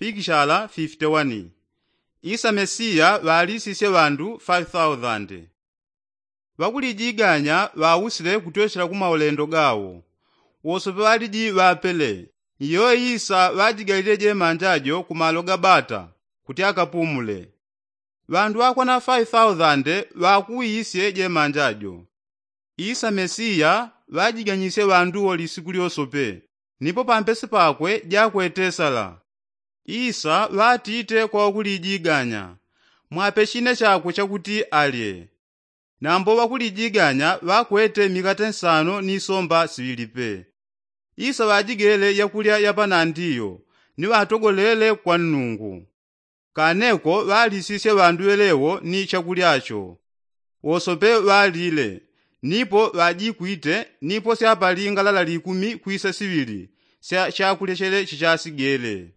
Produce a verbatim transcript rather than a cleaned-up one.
Pikishala fifite wani. Isa mesiya ŵalisisye ŵandu faifi thausande. Ŵakulijiganya ŵausile kutwesela ku maulendo gawo. Wosope ŵaliji ŵapele. Ni yoyo isa ŵajigalile jemanja jo ku malo ga bata kuti akapumule. Ŵandu ŵakwana faifi thausande ŵakuwisye jemanja jo. Isa mesiya ŵajiganyisye ŵandu wo lisiku lyosope. Nipo pampesi pakwe jakwetesala. Isa ŵatite kwa ŵakulijiganya, mwape chine chakwe chakuti alye. Nambo ŵakulijiganya ŵakwete mikate nsano ni somba siŵili pe. Isa ŵajigele yakulya yapanandiyo ni ŵatogolele kwa nnungu. Kaneko ŵalisisye ŵandu ŵelewo ni chakulya cho. Wosope ŵalile. Nipo ŵajikwite nipo syapali ngalala likumi kwisa siŵili sya chakulya chele chichasigele.